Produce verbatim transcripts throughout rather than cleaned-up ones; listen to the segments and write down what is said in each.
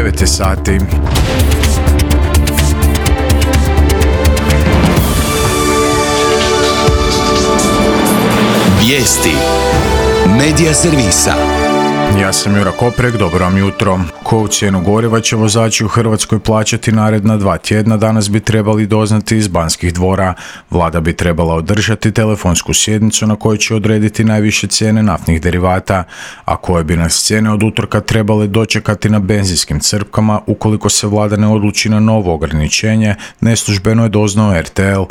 devet je sati. Vijesti Medija servisa. Ja sam Jura Koprek, dobro vam jutro. Koju cijenu goriva će vozači u Hrvatskoj plaćati naredna dva tjedna danas bi trebali doznati iz Banskih dvora. Vlada bi trebala održati telefonsku sjednicu na kojoj će odrediti najviše cijene naftnih derivata, a koje bi nas cijene od utorka trebale dočekati na benzinskim crpkama ukoliko se vlada ne odluči na novo ograničenje, neslužbeno je doznao R T L.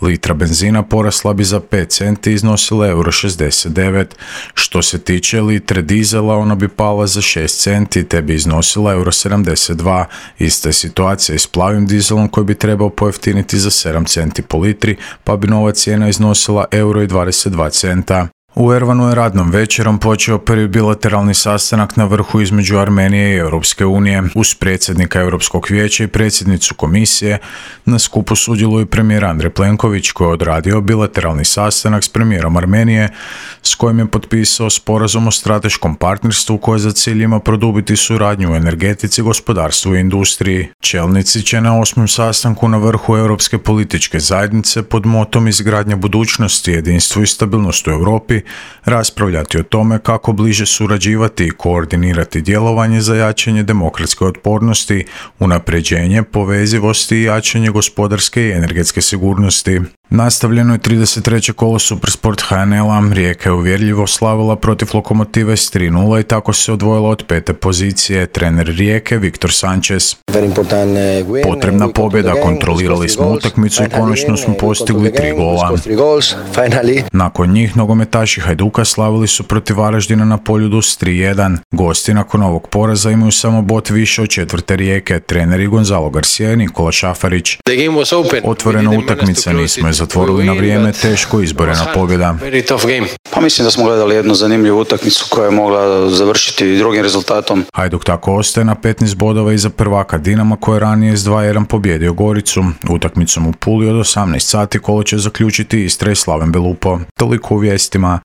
Litra benzina porasla bi za pet centi i iznosila euro šezdeset devet. Što se tiče litre dizela, ona bi pala za šest centi te bi iznosila euro sedamdeset dva. Ista je situacija i s plavim dizelom koji bi trebao pojeftiniti za sedam centi po litri, pa bi nova cijena iznosila euro dvadeset dva centa. U Erevanu je radnom večerom počeo prvi bilateralni sastanak na vrhu između Armenije i Europske unije. Uz predsjednika Europskog vijeća i predsjednicu komisije na skupu sudjeluje premijer Andrej Plenković koji je odradio bilateralni sastanak s premijerom Armenije s kojim je potpisao sporazum o strateškom partnerstvu koje za cilj ima produbiti suradnju u energetici, gospodarstvu i industriji. Čelnici će na osmom sastanku na vrhu Europske političke zajednice pod motom izgradnja budućnosti, jedinstvo i stabilnost u Europi raspravljati o tome kako bliže surađivati i koordinirati djelovanje za jačanje demokratske otpornosti, unapređenje, povezivosti i jačanje gospodarske i energetske sigurnosti. Nastavljeno je trideset treće kolo Supersport H N L-a, Rijeka je uvjerljivo slavila protiv Lokomotive s tri nula i tako se odvojila od pete pozicije. Trener Rijeke Viktor Sanchez. Potrebna pobjeda, kontrolirali smo utakmicu i konačno smo postigli tri gola. Nakon njih nogometaši Hajduka slavili su protiv Varaždina na Poljudu s tri jedan. Gosti nakon ovog poraza imaju samo bod više od četvrte Rijeke. Treneri Gonzalo Garcia i Nikola Šafarić. Otvorena utakmica, nismo je zatvorili na vrijeme, teško izborena pobjeda. Pa mislim da smo gledali jednu zanimljivu utakmicu koja je mogla završiti drugim rezultatom. Hajduk tako ostaje na petnaest bodova iza prvaka Dinama koji je ranije s dva jedan pobjedio Goricu. Utakmicom u Puli od osamnaest sati kolo će zaključiti Istra i Slaven Belupo. Toliko u vijestima.